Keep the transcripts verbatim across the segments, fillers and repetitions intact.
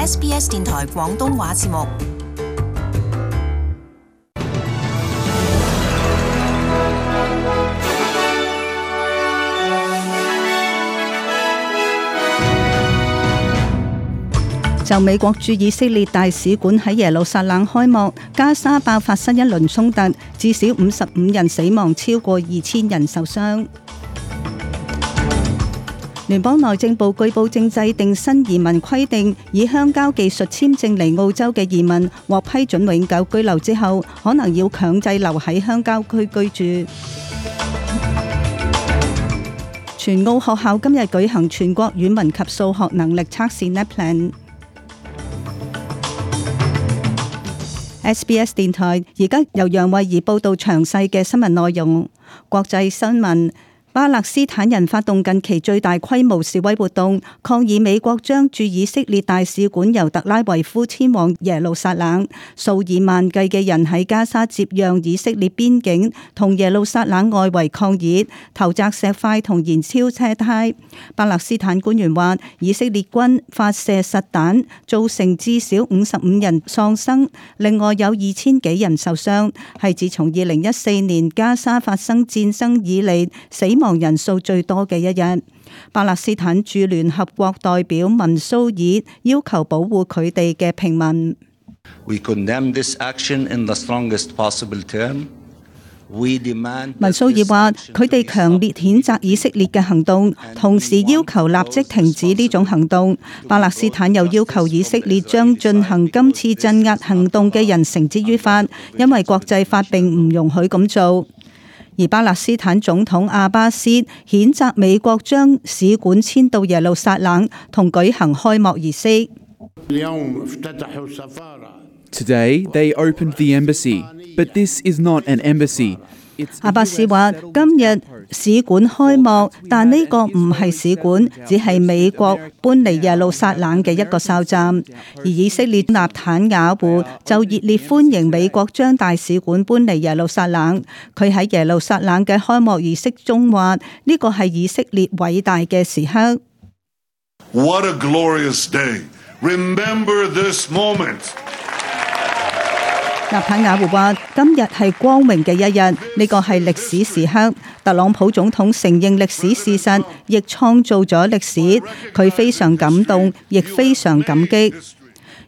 S B S 電台廣東話節目。就美國駐以色列大使館喺耶路撒冷開幕，加沙爆發新一輪衝突，至少五十五人死亡，超過二千人受傷。聯邦內政部據報正制定新移民規定，以鄉郊技術簽證嚟澳洲嘅移民獲批准永久居留之後，可能要強制留喺鄉郊區居住。全澳學校今日舉行全國語文及數學能力測試 NAPLAN。S B S 電台而家由楊慧儀報道詳細嘅新聞內容。國際新聞：巴勒斯坦人發動近期最大規模示威活動，抗議美國將駐以色列大使館由特拉維夫遷往耶路撒冷。數以萬計嘅人喺加沙接壤以色列邊境同耶路撒冷外圍抗議，投擲石塊同燃燒車胎。巴勒斯坦官員話，以色列軍發射實彈，造成至少五十五人喪生，另外有二千幾人受傷，係自從二零一四年加沙發生戰爭以嚟死亡人數最多嘅一日。巴勒斯坦駐聯合國代表文蘇爾要求保護佢哋嘅平民。We condemn this action in the strongest possible term. 文蘇爾話：佢哋強烈譴責以色列嘅行動，同時要求立即停止呢種行動。巴勒斯坦又要求以色列將進行今次鎮壓行動嘅人繩之於法，因為國際法並唔容許咁做。而巴勒斯坦總統阿巴斯譴責美國將使館遷到耶路撒冷，同舉行開幕儀式。Today they opened the embassy, but this is not an embassy. 阿巴斯話：今日使館開幕，但呢個唔係使館，只係美國搬嚟耶路撒冷嘅一個哨站。而以色列納坦雅胡就熱烈歡迎美國將大使館搬嚟耶路撒冷。佢喺耶路撒冷嘅開幕儀式中話：呢個係以色列偉大嘅時刻。What a glorious day! Remember this moment. 納坦雅胡話：今日係光榮嘅一日，呢個係歷史時刻。特朗普總統承認歷史事實，亦創造咗歷史。佢非常感動，亦非常感激。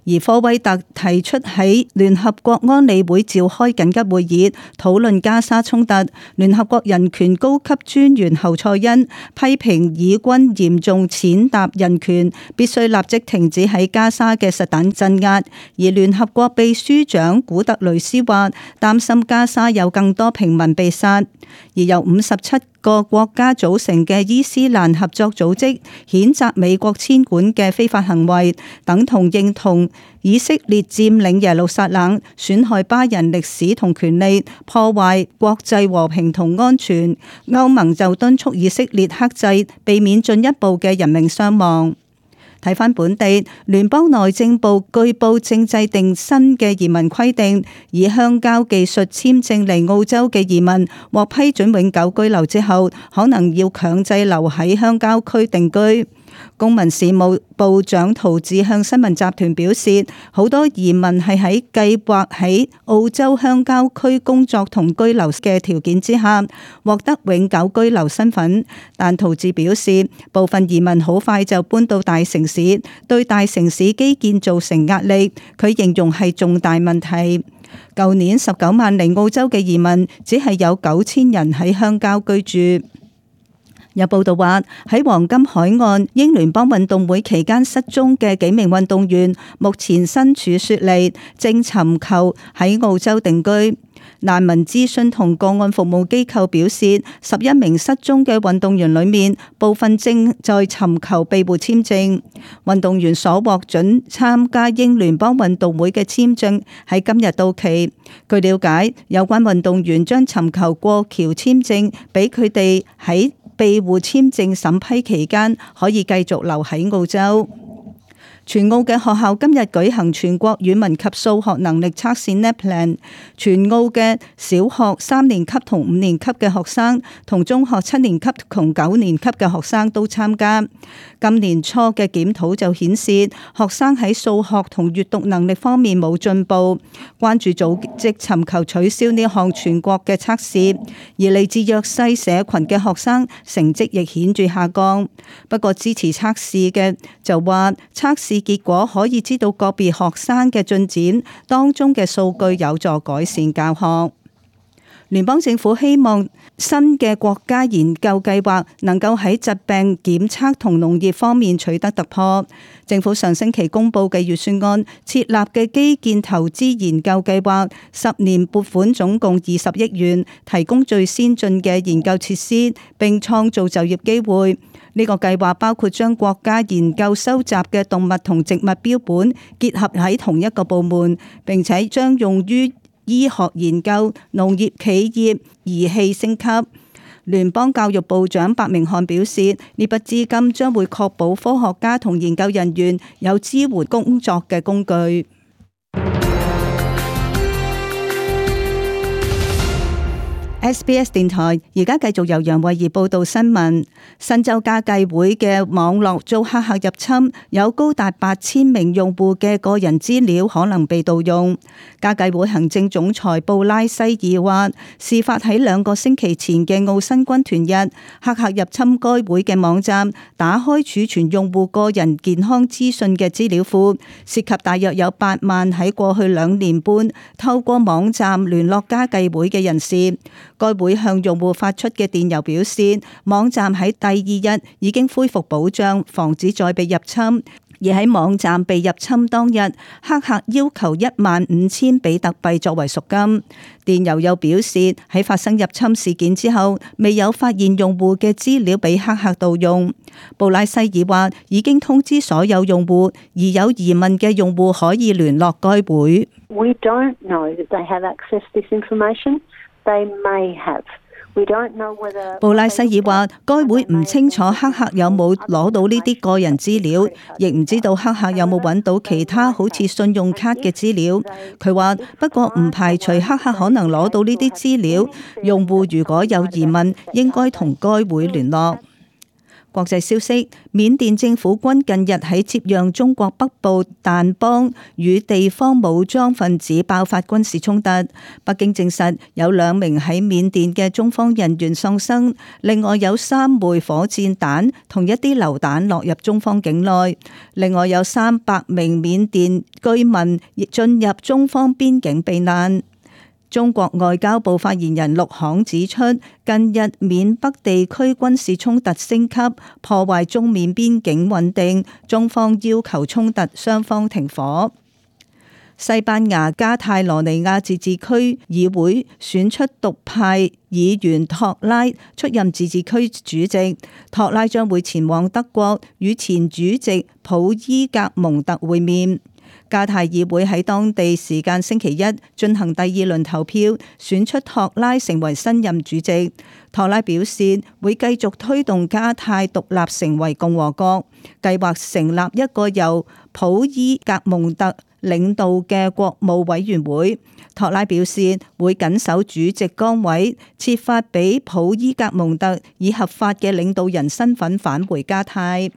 而科威特提出喺聯合國安理會召開緊急會議，討論加沙衝突。聯合國人權高級專員侯賽恩批評以軍嚴重踐踏人權，必須立即停止喺加沙嘅實彈鎮壓。而聯合國秘書長古特雷斯話，擔心加沙有更多平民被殺。而由五十七個國家組成嘅伊斯蘭合作組織譴責美國遷館嘅非法行為，等同認同以色列佔領耶路撒冷，損害巴人歷史同權利，破壞國際和平同安全。歐盟就敦促以色列克制，避免進一步嘅人命傷亡。睇返本地，聯邦內政部據報正制定新嘅移民規定，以鄉郊技術簽證嚟澳洲嘅移民獲批准永久居留之後，可能要強制留喺鄉郊區定居。公民事務部長陶智向新聞集團表示，好多移民係喺計劃喺澳洲鄉郊區工作同居留嘅條件之下獲得永久居留身份，但陶智表示，部分移民好快就搬到大城市，對大城市基建造成壓力，佢形容係重大問題。舊年十九萬嚟澳洲嘅移民，只係有九千人喺鄉郊居住。有報道話，喺黃金海岸英聯邦運動會期間失蹤嘅幾名運動員，目前身處雪梨，正尋求喺澳洲定居。難民諮詢同個案服務機構表示，十一名失蹤嘅運動員裏面，部分正在尋求庇護簽證。運動員所獲准參加英聯邦運動會嘅簽證喺今日到期。據了解，有關運動員將尋求過橋簽證，俾佢哋喺庇護簽證審批期間可以繼續留喺澳洲。全澳嘅學校今日舉行全國語文及數學能力測試 NAPLAN， 全澳嘅小學三年級同五年級嘅學生，同中學七年級同九年級嘅學生都參加。今年初嘅檢討就顯示，學生喺數學同閱讀能力方面冇進步。關注組織尋求取消呢項全國嘅測試，而嚟自弱勢社群嘅學生成績亦顯著下降。不過支持測試嘅就話，測試結果可以知道個別學生嘅進展，當中嘅數據有助改善教學。聯邦政府希望新嘅國家研究計劃能夠喺疾病檢測同農業方面取得突破。政府上星期公布嘅預算案設立嘅基建投資研究計劃，十年撥款總共二十億元，提供最先進嘅研究設施，並創造就業機會。呢個計劃包括將國家研究收集嘅動物同植物標本結合喺同一個部門，並且將用於醫學研究、農業企業、儀器升級。聯邦教育部長白明漢表示，呢筆資金將會確保科學家同研究人員有支援工作嘅工具。S B S 電台而家繼續由楊慧儀報道新聞。新州家計會嘅網絡遭黑客入侵，有高達八千名用戶嘅個人資料可能被盜用。家計會行政總裁布拉西爾話，事發喺兩個星期前嘅澳新軍團日，黑客入侵該會嘅網站，打開儲存用戶個人健康資訊嘅資料庫，涉及大約有八萬喺過去兩年半透過網站聯絡家計會嘅人士。該會向用戶發出嘅電郵表示，網站喺第二日已經恢復保障，防止再被入侵。而喺網站被入侵當日，黑客要求一萬五千比特幣作為贖金。電郵又表示，喺發生入侵事件之後，未有發現用戶嘅資料被黑客盜用。布拉西爾話，已經通知所有用戶，而有疑問嘅用戶可以聯絡該會。We don't know that they have access to this information. They may have. We don't know whether. 布拉西爾話，該會唔清楚黑客有冇攞到呢啲個人資料，亦唔知道黑客有冇揾到其他好似信用卡嘅資料。佢話，不過唔排除黑客可能攞到呢啲資料。用戶如果有疑問，應該同該會聯絡。國際消息，緬甸政府軍近日喺接壤中國北部掸邦與地方武裝分子爆發軍事衝突。北京證實有兩名喺緬甸嘅中方人員喪生，另外有三枚火箭彈同一啲榴彈落入中方境內。另外有三百名緬甸居民亦進入中方邊境避難。中國外交部發言人陸慷指出，近日緬北地區軍事衝突升級，破壞中緬邊境穩定，中方要求衝突雙方停火。西班牙加泰羅尼亞自治區議會選出獨派議員托拉出任自治區主席，托拉將會前往德國與前主席普伊格蒙特會面。加泰議會喺當地時間星期一進行第二輪投票，選出托拉成為新任主席。托拉表示會繼續推動加泰獨立成為共和國，計劃成立一個由普伊格蒙特領導嘅國務委員會。托拉表示會緊守主席崗位，設法俾普伊格蒙特以合法嘅領導人身份返回加泰。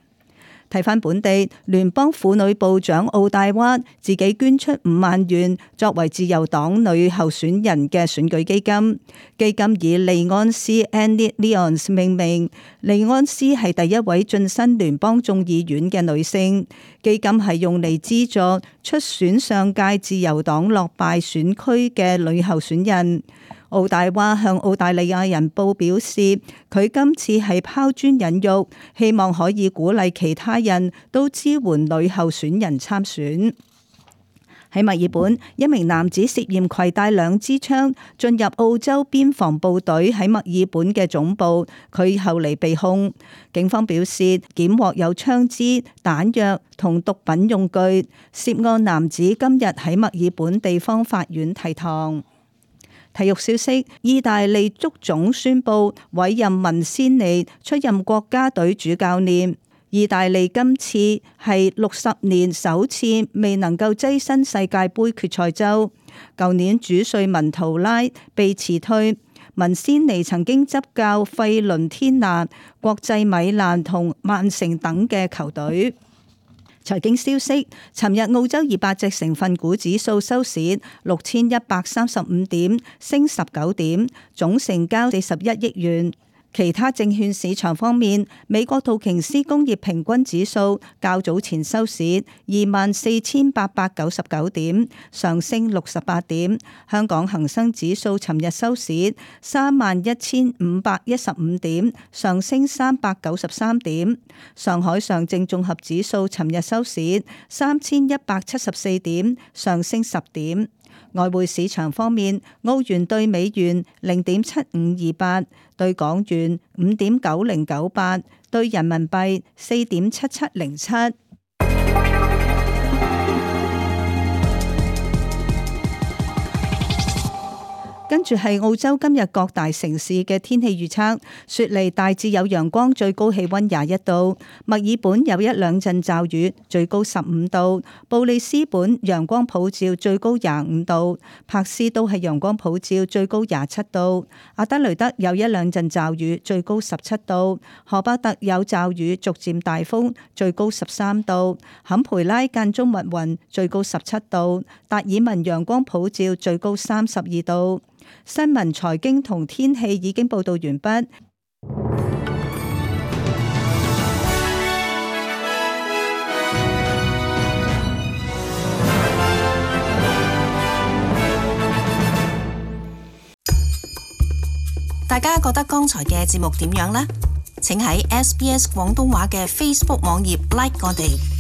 睇返本地，聯邦婦女部長奧戴娃自己捐出五萬元作為自由黨女候選人嘅選舉基金，基金以利安斯 Annie Leons 命名。利安斯係第一位晉身聯邦眾議院嘅女性，基金係用嚟資助出選上屆自由黨落敗選區嘅女候選人。奧戴娃向澳大利亞人報表示，佢今次係拋磚引玉，希望可以鼓勵其他人都支援女候選人參選。喺墨爾本，一名男子涉嫌攜帶兩支槍進入澳洲邊防部隊喺墨爾本嘅總部，佢後嚟被控。警方表示，檢獲有槍支、彈藥同毒品用具。涉案男子今日喺墨爾本地方法院提堂。體育消息，意大利足總宣布委任文仙尼出任國家隊主教練。意大利今次係六十年首次未能夠躋身世界盃決賽周。舊年主帥文圖拉被辭退，文仙尼曾經執教費倫天拿、國際米蘭同曼城等嘅球隊。財經消息，尋日澳洲二百隻成分股指數收市六千一百三十五點，升十九點，總成交四十一億元。其他證券市場方面，美國道瓊斯工業平均指數較早前收市二萬四千八百九十九點，上升六十八點。香港恒生指數尋日收市三萬一千五百一十五點，上升三百九十三點。上海上證綜合指數尋日收市三千一百七十四點，上升十點。外匯市場方面，澳元兌美元零點七五二八，兌港元五點九零九八，兌人民幣四點七七零七。跟住係澳洲今日各大城市嘅天氣預測：雪梨大致有陽光，最高氣溫廿一度；墨爾本有一兩陣驟雨，最高十五度；布里斯本陽光普照，最高廿五度；柏斯都係陽光普照，最高廿七度；阿德雷德有一兩陣驟雨，最高十七度；荷巴特有驟雨，逐漸大風，最高十三度；坎培拉間中密雲，最高十七度；達爾文陽光普照，最高三十二度。新聞、財經同天氣已經報道完畢。大家覺得剛才嘅節目點樣呢？請喺 S B S 廣東話嘅 Facebook 網頁 like 我哋。